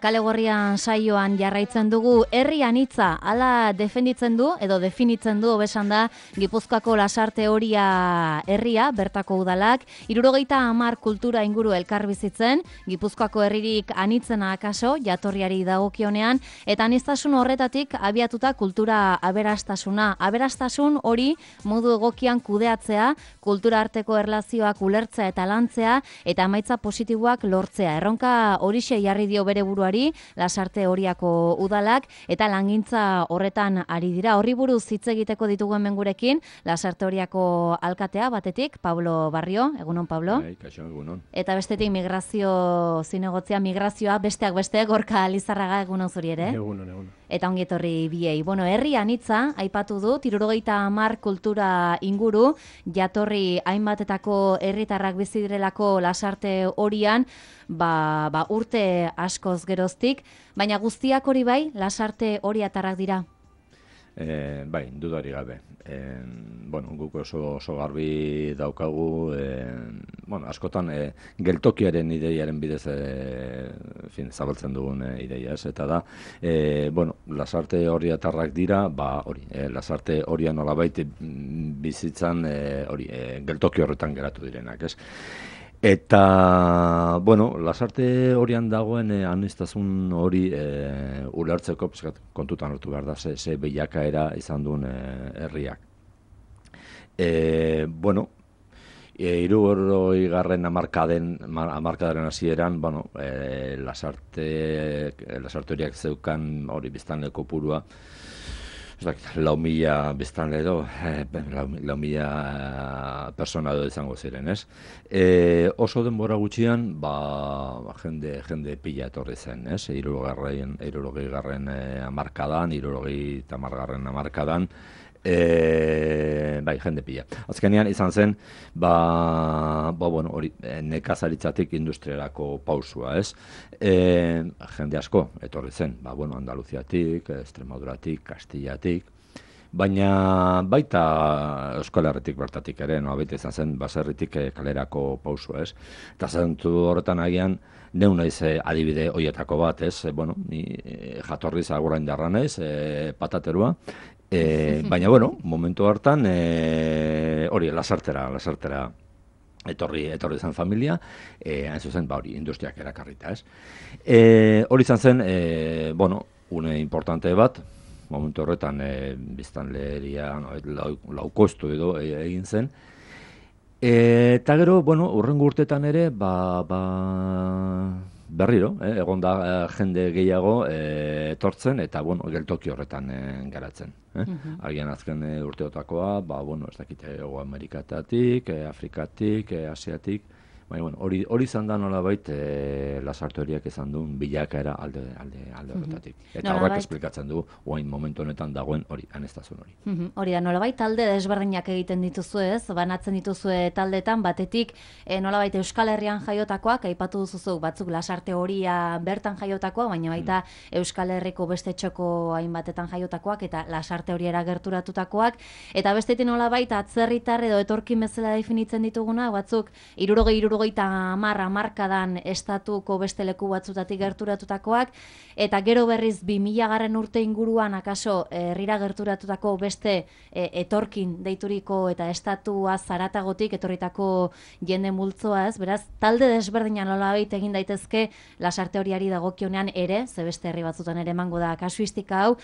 Kale Gorrian saioan jarraitzen dugu herri anitza, hala defenditzen du edo definitzen du hobesan da Gipuzkoako Lasarte Oria herria, bertako udalak, 70 kultura inguru elkarbizitzen, Gipuzkoako herririk anitzena akaso jatorriari dagokionean eta aniztasun horretatik abiatuta kultura aberastasun hori modu egokian kudeatzea, kultura arteko erlazioak ulertzea eta lantzea eta emaitza positiboak lortzea. Erronka horixe jarri dio bere buruari Lasarte Oriako udalak eta langintza horretan ari dira. Horri buruz hitz egiteko ditugu hemen gurekin Lasarte Oriako alkatea batetik Pablo Barrio, egunon Pablo. Kaixo, egunon. Eta bestetik migrazioa besteak beste Gorka Lizarraga, egunon zuri ere. Egunon. Eta ongi etorri biei. Herri anitza aipatu du 70 kultura inguru jatorri hainbatetako herritarrak bizi direlako Lasarte Orian, urte askoz geroztik, baina guztiak hori bai Lasarte Oriatarrak dira. Bai, dudari gabe. Guk oso garbi daukagu, askotan geltokiaren ideiaren bidez zabaltzen dugun ideia, ez? Eta da, Lasarte Oriatarrak dira, Lasarte Oria nolabait bizitzan geltoki horretan geratu direnak, ez? Eta, Lasarte Orian dagoen aniztasun hori ulertzeko kontutan hartu behar da, ze bilakaera izan duen herriak. 60. hamarkadaren hasieran, Lasarte Oriak zeukan hori biztanle kopurua, 4.000 biztanle edo, 4.000 persona edo izango ziren, ez? Oso denbora gutxian, jende pila etorri zen, ez? 60. hamarkadan, 70. hamarkadan, jende pila. Azkenean izan zen, nekazaritzatik industriarako pausua, ez? Jende asko etorri zen, Andaluziatik, Extremaduratik, Kastillatik, baina baita Euskal Herritik bertatik ere, baita izan zen baserritik kalerako pausua, ez? Eta zentu horretan agian, neu naiz adibide hoietako bat, ez? Ni jatorriz agurain darra naiz, pataterua, baina, momentu hartan, Lasartera etorri zen familia, hain zuzen, industriak erakarrita, ez? Hori izan zen, une importante bat, momentu horretan, biztanleria laukostu edo egin zen, eta gero, hurrengo urtetan ere, berriro, egon da jende gehiago etortzen eta geltoki horretan garatzen. Agian azken urteotakoa, ez dakite Hego Amerikatatik, Afrikatik, Asiatik, baina hori izan da nolabait Lasarte Oriak izan duen bilakaera alde horretatik. Eta horrek esplikatzen du orain momentu honetan dagoen hori, aniztasun hori. Hori da, nolabait talde desberdinak egiten dituzu ez, banatzen dituzue taldetan, batetik nolabait Euskal Herrian jaiotakoak, aipatu duzuzu batzuk Lasarte Oria bertan jaiotakoa, baina baita Euskal Herriko beste txoko hainbatetan jaiotakoak eta Lasarte Oriara gerturatutakoak, eta bestetik nolabait atzerritar edo etorkin bezala definitzen dituguna, batzuk 60 hamarkadan estatuko beste leku batzutatik gerturatutakoak, eta gero berriz 2000 urte inguruan akaso herrira gerturatutako beste etorkin deituriko eta estatua zaratagotik etorritako jende multzoa, ez? Beraz, talde desberdinan nolabait egin daitezke Lasarte Oriari dagokionean ere, ze beste herri batzutan ere emango da kasuistika hau,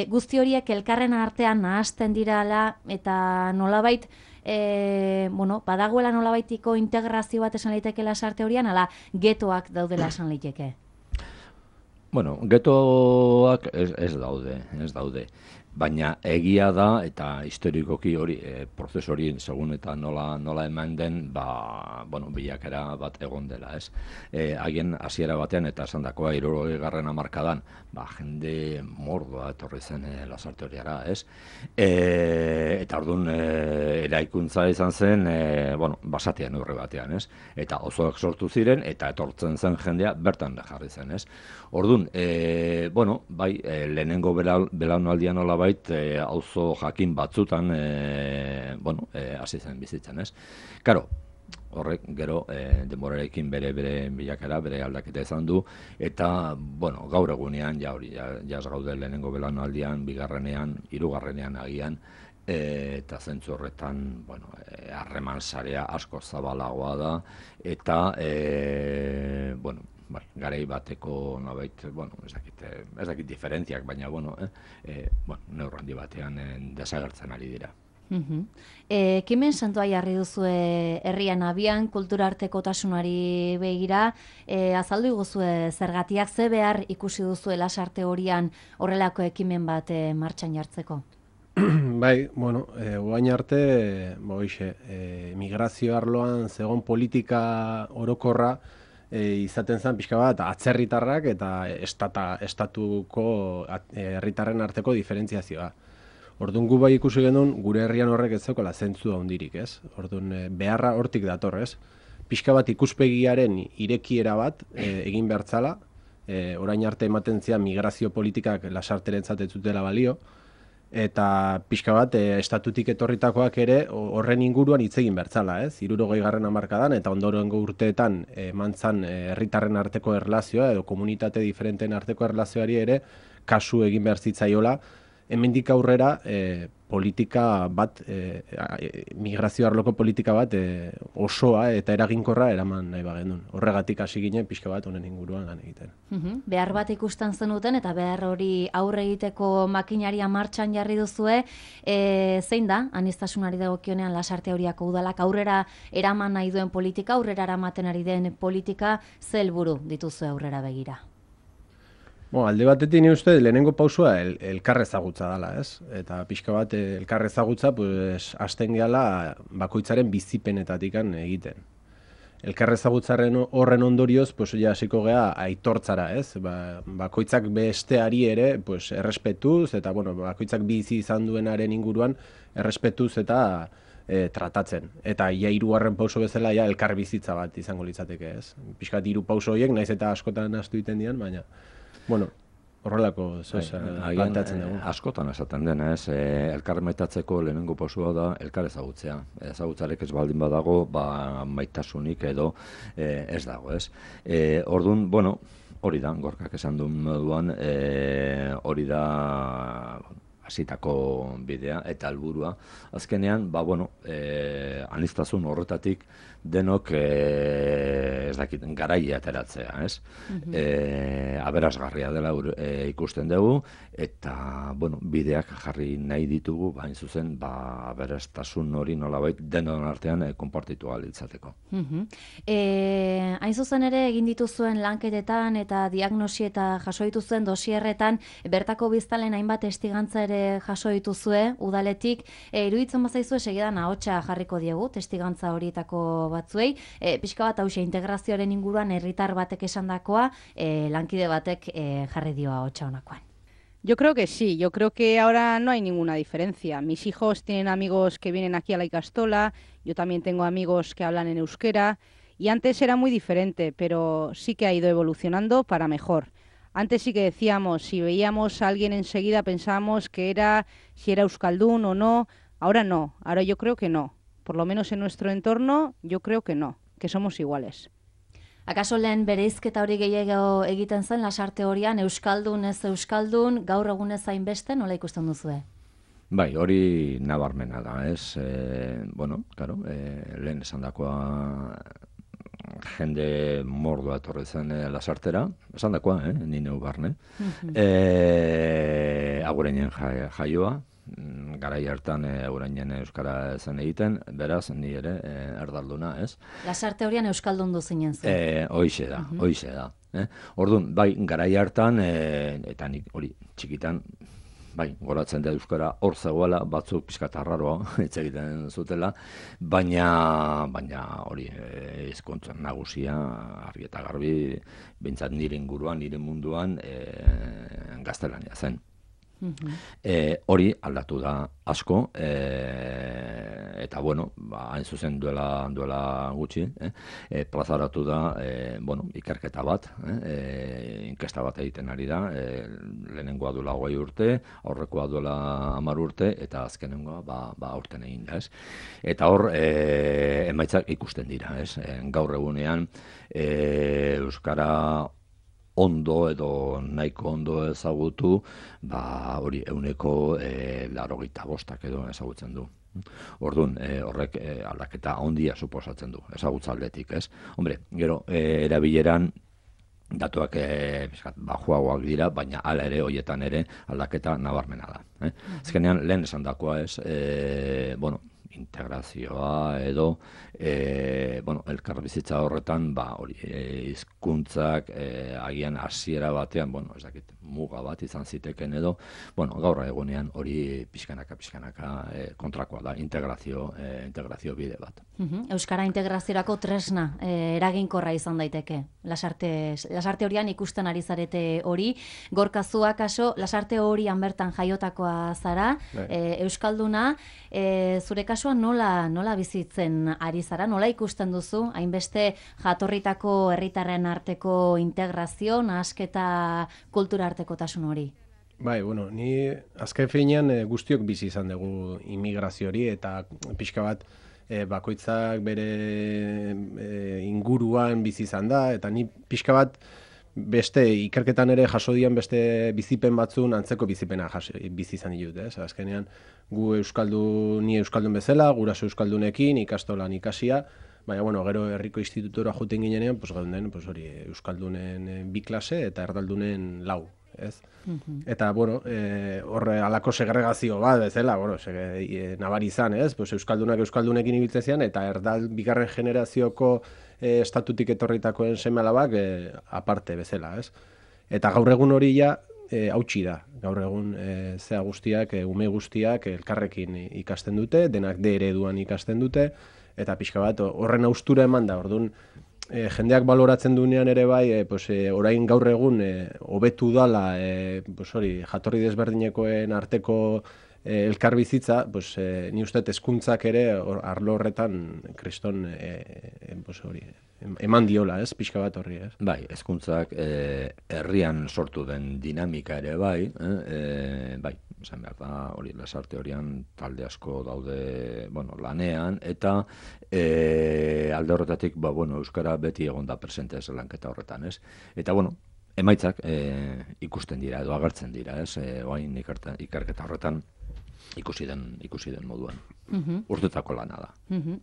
guzti horiek elkarren artean nahasten dirala eta nolabait badagoela nolabaitiko integrazio bat esan liteke Lasarte Orian, ala getoak daudela esan liteke? Getoak ez daude. Baina egia da, eta historikoki hori, prozesu hori segun eta nola eman den, bilakera bat egon dela, ez? Haien hasiera batean, eta esan dakoa, 60. hamarkadan, jende mordoa etorri zen Lasarte Oriara, ez? Eta orduan, eraikuntza izan zen, basatian urre batean, ez? Eta osoak sortu ziren, eta etortzen zen jendea bertan jarri zen, ez? Orduan, lehenengo belaunaldian nola auzo jakin batzutan hasi zen bizitzen, ez? Karo, horrek gero denborarekin bere bilakera, bere aldaketa izan du, eta, bueno, gaur egunean, ja hori, jaz gaude lehenengo belaunaldian, bigarrenean, hirugarrenean agian, eta zentzu horretan, bueno, harreman sarea asko zabalagoa da, eta, bueno, bai, garai bateko nobait, bueno, ez dakit diferentziak, baina, bueno, neurri handi batean desagertzen ari dira. Ekimen santua jarri duzue herrian abian, kulturartekotasunari begira, azaldu iguzue zergatiak ze behar ikusi duzue Lasarte horian horrelako ekimen bat martxan jartzeko? Bai, bueno, oain arte, migrazio arloan zegon politika orokorra izaten zen pixka bat atzerritarrak eta estatuko herritarren arteko diferentziazioa. Orduan gu bai ikusi genuen gure herrian horrek ez zeukala zentzu handirik, ez? Orduan beharra hortik dator, ez? Pixka bat ikuspegiaren irekiera bat egin behar zala, orain arte ematen zian migrazio politikak Lasarterentzat ez zutela balio, eta pixka bat estatutik etorritakoak ere horren inguruan hitz egin behar zala, ez? 60. hamarkadan eta ondorengo urteetan emantzan herritarren arteko erlazioa edo komunitate diferenteen arteko erlazioari ere kasu egin behar zitzaiola, hemendik aurrera politika bat, migrazio arloko politika bat osoa eta eraginkorra eraman nahi bagendun. Horregatik hasi ginen pixka bat honen inguruan lan egiten. Behar bat ikusten zenuten eta behar hori aurre egiteko makinaria martxan jarri duzue, zein da, aniztasunari dagokionean Lasarte horiako udalak aurrera eraman nahi duen politika, aurrera eramaten ari den politika, ze helburu dituzue aurrera begira? Alde batetik ni uste lehenengo pausua elkar ezagutza dela, ez? Eta pixka bat elkar ezagutza hasten gehala bakoitzaren bizipenetatik egiten. Elkar ezagutzaren horren ondorioz, hasiko gea aitortzara, ez? Bakoitzak besteari ere errespetuz, eta bakoitzak bizi izan duenaren inguruan errespetuz eta tratatzen. Eta hirugarren pauso bezala elkar bizitza bat izango litzateke, ez? Pixka bat 3 pauso horiek, naiz eta askotan ahaztu egiten dian, baina horrelako planteatzen dugu. Askotan esaten dena, ez, elkar maitatzeko lehenengo pausua da elkar ezagutzea. Ezagutzarek ez baldin badago, maitasunik edo ez dago, ez. Orduan, hori da, Gorkak esan duen moduan, hori da hasitako bidea eta helburua. Azkenean, aniztasun horretatik denok ez dakit garaia ateratzea, ez? Aberasgarria dela ikusten dugu eta bideak jarri nahi ditugu, hain zuzen aberastasun hori nolabait denon artean konpartitu ahal izateko. Hain zuzen ere egin dituzuen lanketetan eta diagnosi eta jaso dituzuen dosierretan bertako biztanleen hainbat testigantza ere jaso dituzue udaletik, iruditzen bazaizue segidan ahotsa jarriko diegu testigantza horietako batzuei, pixka bat hauxe integrazioaren inguruan herritar batek esandakoa, lankide batek jarri dio ahotsa honakoan. Yo creo que sí, yo creo que ahora no hay ninguna diferencia. Mis hijos tienen amigos que vienen aquí a la Ikastola, yo también tengo amigos que hablan en euskera, y antes era muy diferente, pero sí que ha ido evolucionando para mejor. Antes sí que decíamos, si veíamos a alguien enseguida pensábamos que era, si era euskaldun o no, ahora no, ahora yo creo que no. Por lo menos en nuestro entorno, yo creo que no, que somos iguales. Akaso lehen bereizketa hori gehiago egiten zen Lasarte horian, euskaldun ez euskaldun, gaur egunez hainbeste, nola ikusten duzue? Bai, hori nabarmena da, ez? Lehen esandakoa jende mordoa etorri zen Lasartera, esandakoa, ni neu barne. Agureinen jaioa, garai hartan Agureinen euskara zen egiten, beraz, ni ere erdalduna, ez? Lasarte horian euskaldun duzinen zen. Hoixe da. Orduan, bai, garai hartan, eta nik hori txikitan, bai, goratzen da euskara hor zegoela, batzuk pixkat arraroa hitz egiten zutela, baina hori hizkuntza nagusia argi eta garbi, behintzat nire inguruan, nire munduan gaztelania zen. Hori aldatu da asko, eta bueno, hain zuzen duela gutxi, plazaratu da, ikerketa bat, inkesta bat egiten ari da, lehenengoa duela 20 urte, aurrekoa duela 10 urte, eta azkenengoa aurten egin da, ez? Eta hor, emaitzak ikusten dira, ez? Gaur egunean, euskara ondo edo nahiko ondo ezagutu, hori 85% edo ezagutzen du. Orduan, horrek aldaketa handia suposatzen du, ezagutza aldetik, ez? Hombre, gero, erabileran datuak bajuagoak dira, baina hala ere, horietan ere, aldaketa nabarmena da. Azkenean, lehen esan dakoa ez, integrazioa edo elkarbizitza horretan hori hizkuntzak agian hasiera batean, ez dakit, muga bat izan ziteken edo, gaur egunean hori pixkanaka kontrakoa da, integrazio bide bat. Euskara integraziorako tresna eraginkorra izan daiteke. Lasarte horian ikusten ari zarete hori, Gorkazua kaso, lasarte horian bertan jaiotakoa zara, euskalduna, zure kasuan nola bizitzen ari zara, nola ikusten duzu, hainbeste jatorritako herritarren arteko integrazio, nahasketa kultura arteko tasun hori? Bai, ni azken finean guztiok bizi izan dugu immigrazio hori, eta pixka bat bakoitzak bere inguruan bizi izan da, eta ni pixka bat beste ikerketan ere jaso dian beste bizipen batzun antzeko bizipena bizi izan ditut, ez? Azkenean gu ni euskaldun bezala, guraso euskaldunekin ikastolan ikasia, baina gero herriko institutora joten ginenean, geunden hori euskaldunen 2 klase eta erdaldunen 4, ez? Eta horre alako segregazio bat bezala, nabari izan, ez? Euskaldunak euskaldunekin ibiltzen zian, eta bigarren generazioko estatutik etorritakoen seme-alabak aparte bezala, ez? Eta gaur egun hori hautsi da. Gaur egun zea guztiak, ume guztiak elkarrekin ikasten dute, denak D ereduan ikasten dute, eta pixka bat horren haustura eman da. Orduan, jendeak baloratzen duenean ere bai, orain gaur egun hobetu dala jatorri desberdinekoen arteko elkarbizitza, ni uste hezkuntzak ere arlo horretan kriston eman diola, ez, pixka bat horri, ez? Bai, hezkuntzak herrian sortu den dinamika ere bai, esan behar da, hori lasarte horian talde asko daude, lanean, eta alde horretatik, euskara beti egon da presente ez lanketa horretan, ez? Eta, emaitzak ikusten dira, edo agertzen dira, ez? Oain ikerketa horretan ikusi den moduan. Urtetako lana da.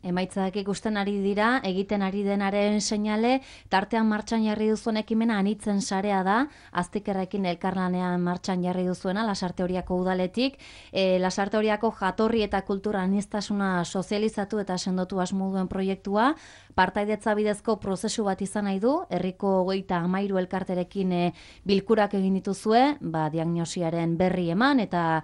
Emaitzak ikusten ari dira, egiten ari denaren seinale, tartean martxan jarri duzuen ekimena anitzen sarea da, Aztikerrekin elkarlanean martxan jarri duzuena, Lasarte Horiako udaletik, Lasarte Horiako jatorri eta kultura aniztasuna sozializatu eta sendotu asmo duen proiektua, partaidetza bidezko prozesu bat izan nahi du, herriko 33 elkarterekin bilkurak egin dituzue, diagnosiaren berri eman, eta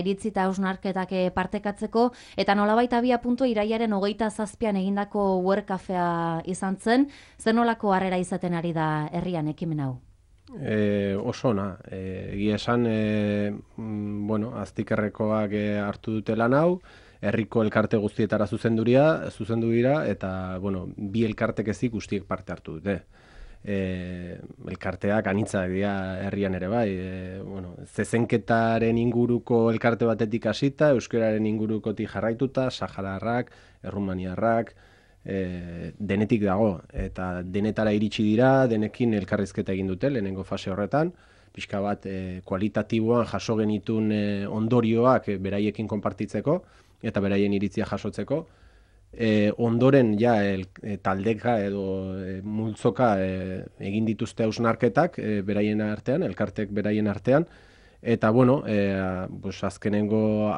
iritzi eta hausnarketak partekatzeko, eta nolabait abia puntua iraiaren 27an egindako Work Cafea izan zen, zer nolako harrera izaten ari da herrian ekimen hau? Oso ona, egia esan, Aztikerrekoak hartu dute lan hau, herriko elkarte guztietara zuzendu dira, eta, bi elkartek ezik guztiek parte hartu dute. Elkarteak anitzak dira herrian ere bai, zezenketaren inguruko elkarte batetik hasita, euskararen ingurukotik jarraituta, sahararrak, errumaniarrak, denetik dago, eta denetara iritsi dira, denekin elkarrizketa egin dute, lehenengo fase horretan, pixka bat kualitatiboan jaso genitun ondorioak beraiekin konpartitzeko, eta beraien iritzia jasotzeko, ondoren taldeka edo multzoka egin dituzte hausnarketak beraien artean, elkartek beraien artean, eta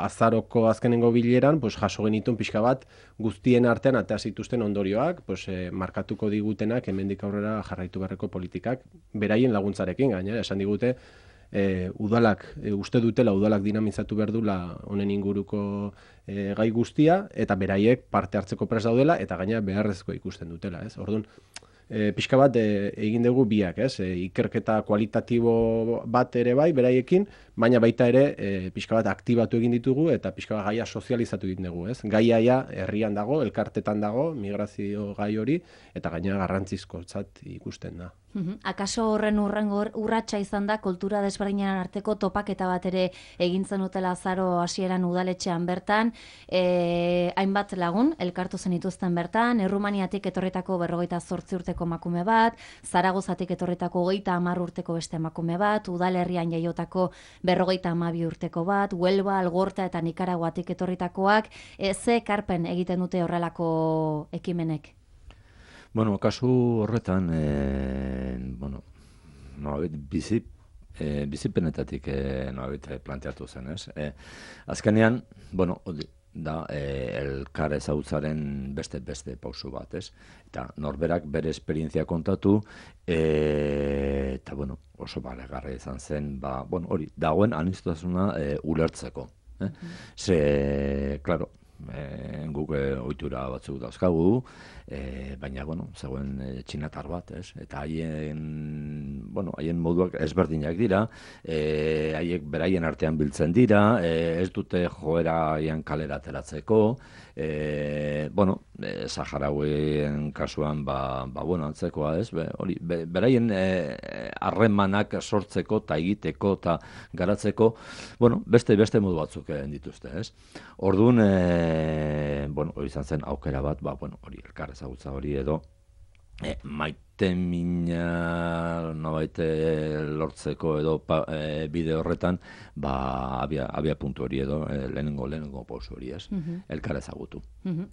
azaroko azkenengo bileran jaso genitun pixka bat guztien artean atea zituzten ondorioak, markatuko digutenak hemendik aurrera jarraitu beharreko politikak beraien laguntzarekin, gainera esan digute udalak, uste dutela udalak dinamizatu behar dula honen inguruko gai guztia, eta beraiek parte hartzeko prest daudela, eta gainera beharrezko ikusten dutela, ez? Orduan, pixka bat egin dugu biak, ez? Ikerketa kualitatibo bat ere bai, beraiekin, baina baita ere pixka bat aktibatu egin ditugu eta pixka bat gaia sozializatu egin dugu, ez? Gaia herrian dago, elkartetan dago, migrazio gai hori, eta gaina garrantzizkotzat ikusten da. Akaso horren urratsa izan da kultura desberdinen arteko topaketa bat ere egin zenutela azaro hasieran udaletxean bertan, hainbat lagun elkartu zenituzten bertan, Errumaniatik etorritako 58 urteko emakume bat, Zaragozatik etorritako 30 urteko beste emakume bat, udalerrian jaiotako 52 urteko bat, Huelva, Algorta eta Nikaraguatik etorritakoak, ze ekarpen egiten dute horrelako ekimenek? Bueno, kasu horretan, bizipenetatik planteatu zen, ez? Azkenean, da elkar ezautzaren beste pausu bat, ez? Eta norberak bere esperientzia kontatu, eta, oso balegarra izan zen, hori, dagoen aniztasuna ulertzeko. Ze, klaro, guk ohitura batzuk dauzkagu, baina, zegoen txinatar bat, ez? Eta haien moduak ezberdinak dira, haiek beraien artean biltzen dira, ez dute joera haien kalera ateratzeko, Saharauien kasuan, antzekoa, ez? Beraien harremanak sortzeko eta egiteko eta garatzeko, beste modu batzuk dituzte, ez? Orduan, hori izan zen aukera bat, hori elkar ezagutza hori edo maite mina lortzeko edo bide horretan abia puntu hori edo lehenengo pausu hori, ez? Elkar ezagutu.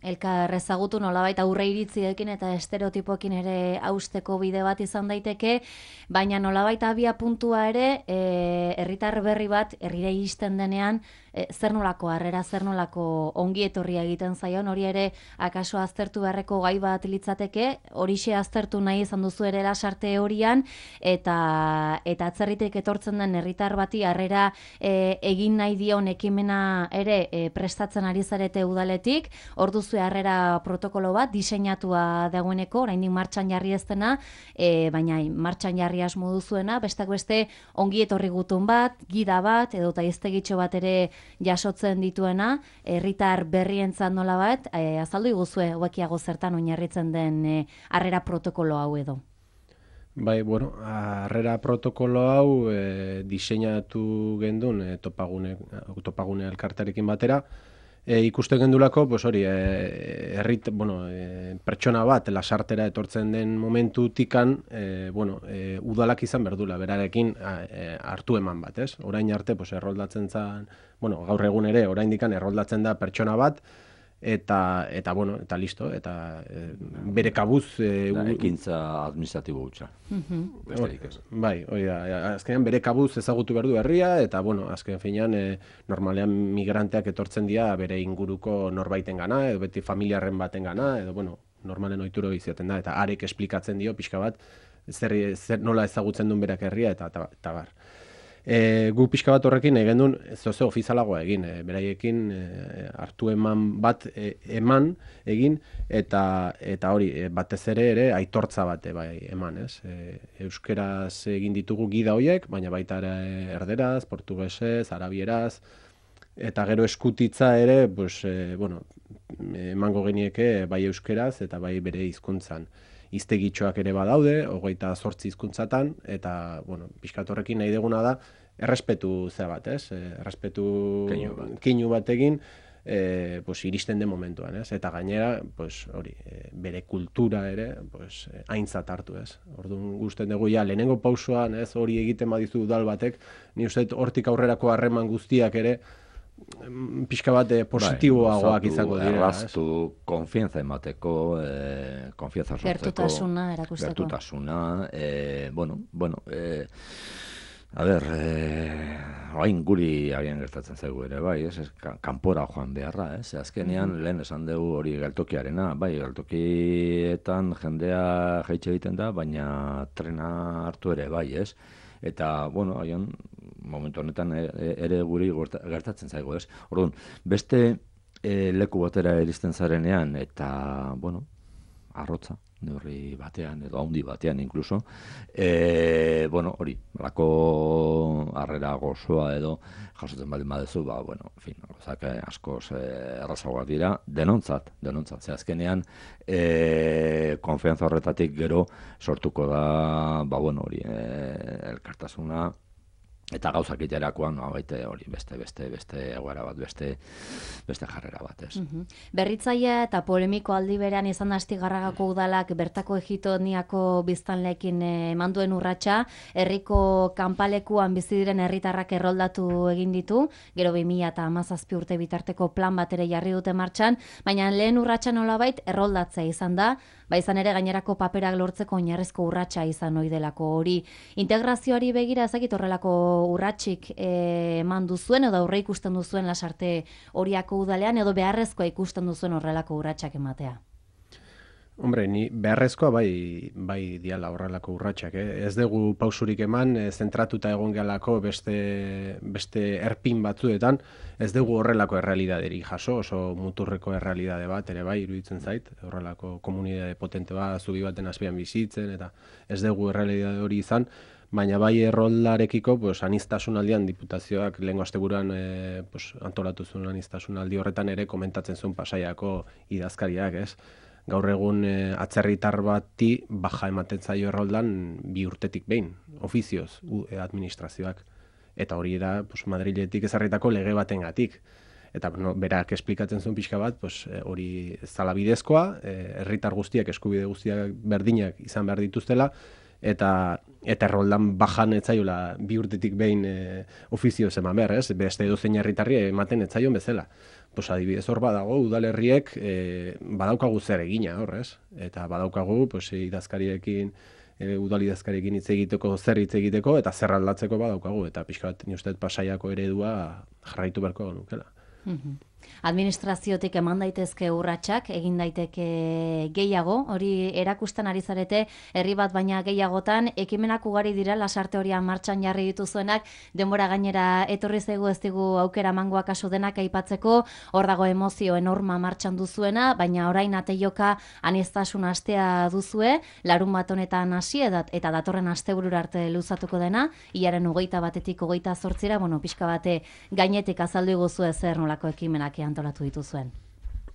Elkar ezagutu nolabait aurre iritziekin eta estereotipoekin ere hausteko bide bat izan daiteke, baina nolabait abia puntua ere herritar berri bat herrira iristen denean zer nolako harrera, zer nolako ongi etorria egiten zaion, hori ere akaso aztertu beharreko gai bat litzateke, horixe aztertu nahi izan duzu ere lasarte horian, eta atzerritik etortzen den herritar bati harrera egin nahi dion ekimena ere prestatzen ari zarete udaletik, hor duzu harrera protokolo bat diseinatua dagoeneko, oraindik martxan jarri ez dena, baina martxan jarri asmo duzuena, besteak beste ongi etorri gutun bat, gida bat, edo taiztegitxo bat ere jasotzen dituena, herritar berrientzat nola bat, azaldu iguzue, hobekiago zertan oinarritzen den harrera protokolo hau edo. Bai, harrera protokolo hau diseinatu gendun topagune elkartearekin batera, ikusten gendulako, pertsona bat lasartera etortzen den momentutikan, udalak izan berdula, berarekin hartu eman bat, ez? Orain arte, erroldatzen zen, gaur egun ere, oraindikan erroldatzen da pertsona bat, eta listo, eta bere kabuz... ekintza administratibo hutsa. Bai, azkenean bere kabuz ezagutu behar du herria, eta azken finean normalean migranteak etortzen dira bere inguruko norbaiten gana, edo beti familiarren baten gana, edo normalen ohituro izaten da, eta arek esplikatzen dio pixka bat zer nola ezagutzen duen berak herria, eta bar. Gu pixka bat horrekin egin duen zoze ofizialagoa egin, beraiekin hartu eman bat egin, eta hori batez ere aitortza bat eman, ez? Euskeraz egin ditugu gida horiek, baina baita ere erderaz, portugesez, arabieraz, eta gero eskutitza ere, emango genieke bai euskeraz eta bai bere hizkuntzan. Hiztegitxoak ere badaude, 28 hizkuntzatan, eta, pixkat horrekin nahi deguna da, errespetu bat, ez? Errespetu keinu bat egin, iristen den momentuan, ez? Eta gainera, bere kultura ere, aintzat hartu, ez? Orduan gusten dugu, lehenengo pausoan, ez? Hori egiten badizu udal batek, ni uste hortik aurrerako harreman guztiak ere, pixka bat positiboagoak izango dira. Erraztu, konfianza emateko, konfianza sortzeko. Gertutasuna erakusteko. Gertutasuna, orain guri agian gertatzen zaigu ere, bai, kanpora joan beharra, ez? Azkenean, lehen esan dugu hori geltokiarena, bai, geltokietan jendea jaitxe egiten da, baina trena hartu ere, bai, ez? Eta, haien, momentu honetan ere guri gertatzen zaigu, ez? Orduan, beste leku batera iristen zarenean, eta, arrotza, neurri batean edo handi batean inkluso. Bueno, hori, lako harrera gozoa edo jasotzen baldin badezu, bueno, en fin, gauzak askoz errazagoak dira, denontzat, ze azkenean konfiantza horretatik gero sortuko da, bueno, hori, elkartasuna, eta gauzak iterakoan, baite hori, beste egoera bat, beste jarrera bat, ez. Berritzaia eta polemiko aldi berean izan da Astigarragako udalak bertako egitoniako biztanleekin eman duen urratsa, herriko kanpalekuan bizi diren herritarrak erroldatu egin ditu, gero 2017 urte bitarteko plan bat ere jarri dute martxan, baina lehen urratsa nolabait erroldatzea izan da, izan ere gainerako paperak lortzeko oinarrizko urratsa izan ohi delako hori. Integrazioari begira ezakit horrelako urratsik eman duzuen edo aurre ikusten duzuen Lasarte Oriako udalean edo beharrezkoa ikusten duzuen horrelako urratsak ematea? Hombre, ni beharrezkoa bai diala horrelako urratsak, Ez dugu pausurik eman, zentratuta egon gehalako beste erpin batzuetan, ez dugu horrelako errealidaderik jaso, oso muturreko errealidade bat, ere bai, iruditzen zait, horrelako komunitate potente bat, zubi baten azpian bizitzen, eta ez dugu errealidade hori izan, baina bai erroldarekiko, aniztasun aldian diputazioak lehengo asteburuan antolatu zuen aniztasun aldi horretan ere komentatzen zuen Pasaiako idazkariak, ez? Gaur egun atzerritar bati baja ematen zaio erroldan 2 urtetik behin, ofizioz, administrazioak. Eta hori da Madriletik ezarritako lege batengatik. Eta berak esplikatzen zuen pixka bat, hori zala bidezkoa, herritar guztiak, eskubide guztiak berdinak izan behar dituztela, eta erroldan bajan etzaiola 2 urtetik behin ofizioz eman behar, ez? Beste edozein herritarri ematen etzaion bezala. Adibidez hor badago, udalerriek badaukagu zer egina hor, ez? Eta badaukagu idazkariekin, udalidazkariekin hitz egiteko, zer hitz egiteko, eta zer aldatzeko badaukagu, eta pixka bat ni uste Pasaiako eredua jarraitu beharko nukela. Administraziotik eman daitezke urratsak, egin daiteke gehiago, hori erakusten ari zarete, herri bat baina gehiagotan, ekimenak ugari dira Lasarte Oria martxan jarri dituzuenak, denbora gainera etorri zaigu ez digu aukera mangoa kasu denak aipatzeko, hor dago emozio enorma martxan duzuena, baina orain ateioka aniztasun astea duzue, larun bat honetan hasi eta datorren asteburura arte luzatuko dena, hilaren 21-tik 28-ra, pixka bate gainetik azaldu iguzue zer nolako ekimenak antolatu dituzuen.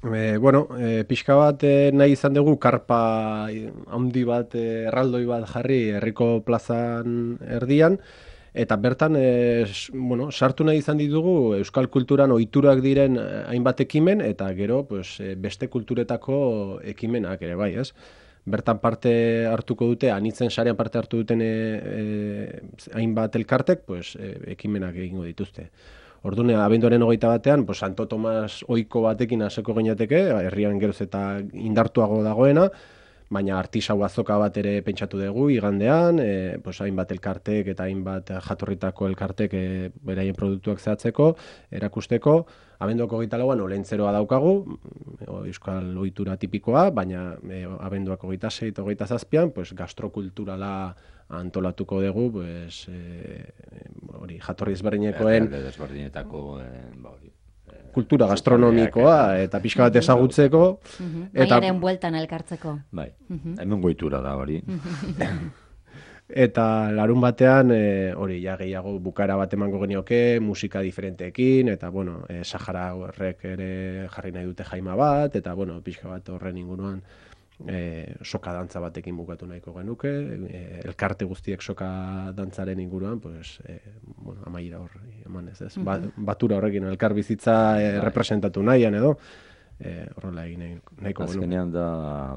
Pixka bat nahi izan dugu karpa handi bat, erraldoi bat jarri herriko plazan erdian, eta bertan sartu nahi izan ditugu euskal kulturan ohiturak diren hainbat ekimen, eta gero beste kulturetako ekimenak ere bai, ez? Bertan parte hartuko dute, anitzen sarean parte hartu duten hainbat elkartek, ekimenak egingo dituzte. Orduan, abenduaren 21-an, Santo Tomas ohiko batekin hasiko ginateke, herrian geroz eta indartuago dagoena, baina artisau azoka bat ere pentsatu dugu igandean, hainbat elkartek eta hainbat jatorritako elkartek beraien produktuak zehatzeko, erakusteko. Abenduako 24an olentzeroa daukagu, euskal ohitura tipikoa, baina abenduako 26 eta 27an gastrokulturala antolatuko dugu, jatorri ezberdinekoen kultura gastronomikoa eta pixka bat ezagutzeko. Maiaren bueltan elkartzeko. Bai, hemen goitura da hori. Eta larun batean, gehiago bukara bat emango genioke, musika diferenteekin, eta, Sahara horrek ere jarri nahi dute jaima bat, eta, pixka bat horren inguruan soka dantza batekin bukatu nahiko genuke, elkarte guztiek soka dantzaren inguruan, amaiera hor eman ez. Batura horrekin elkar bizitza representatu nahian edo, horrela egin nahiko genuke. Azkenean da,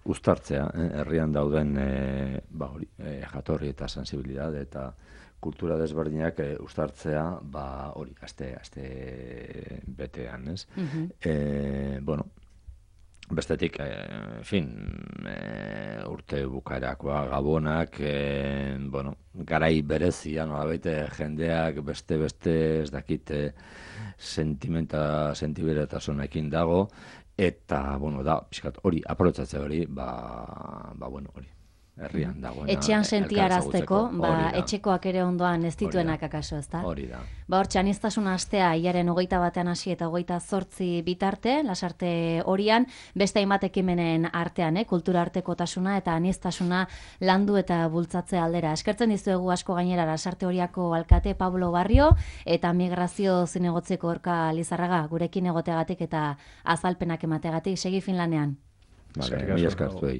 uztartzea, herrian dauden jatorri eta sensibilidad eta kultura desberdinak uztartzea, hori, aste betean, ez? Bestetik, urte bukaerakoa gabonak, garai berezia, nolabait jendeak beste ez dakite sentiberatasunekin dago, eta, da, pixkat, hori, aprobetxatzea hori, hori. herrian dagoena. Etxean sentiarazteko, Hori da. etxekoak ere ondoan ez dituenak Hori da. akaso, ezta? Hori da. Hortxe, aniztasun astea, hilaren 21 hasi eta 28 bitarte, lasarte horian, beste hainbat ekimenen artean, kultura artekotasuna eta aniztasuna landu eta bultzatze aldera. Eskertzen dizuegu asko gainera lasarte horiako alkate Pablo Barrio eta migrazio zinegotzeko Orka Lizarraga, gurekin egoteagatik eta azalpenak emateagatik, segi Finlanean. Vale, mila eskertu.